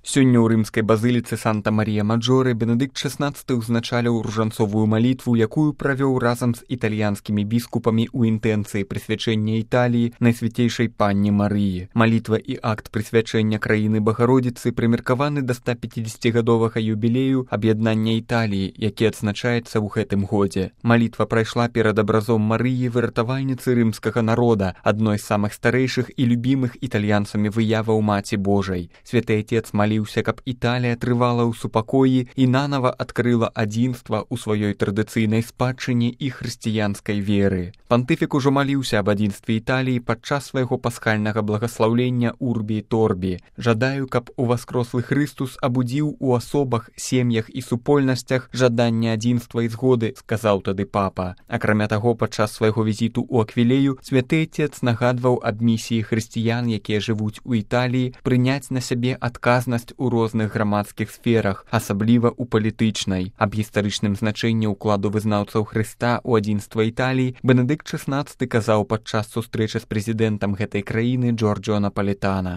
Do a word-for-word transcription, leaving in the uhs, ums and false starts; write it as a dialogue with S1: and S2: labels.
S1: Сёння ў рымскай базыліцы Санта-Марія-Маджоре Бенедыкт шаснаццаты ўзначаліў ружанцовую малітву, якую правёў разам з італьянскімі біскупамі ў інтэнцыі прысвячэння Італіі Найсвяцейшай Панне Марыі. Малітва і акт прысвячэння краіны Багародзіцы прымеркаваны да ста пяцідзесяцігадовага юбілею аб'яднання Італіі, які адзначаецца ў гэтым годзе. Малітва прайшла перад абразом Марыі, выратавальніцы рымскага народа, адной з самых старэйшых і любімых італьянцамі выяваў Маці Божай. Святы Отец маліўся, каб Італія трывала ў супакоі і нанава адкрыла адзінства ў сваёй традыцыйнай спадчыне і хрысціянскай веры. Пантыфік ужо маліўся аб адзінстве Італіі падчас свайго пасхальнага благаслаўлення Урбі і Торбі. Жадаю, каб уваскрослы Хрыстус абудзіў у асобах, сем'ях і супольнасцях жаданне адзінства і згоды, сказаў тады папа. Акрамя таго, падчас свайго візіту ў Аквілею святы Отец нагадваў аб місіі хрысціян, якія жывуць у Італіі, прыняць на сябе адказнасць у розных грамадскіх сферах, асабліва ў палітычнай. Аб гістарычным значэнні ўкладу вызнаўцаў Хрыста ў адзінства Італіі Бенедыкт шаснаццаты казаў падчас сустрэчы з прэзідэнтам гэтай краіны Джорджо Напалетана.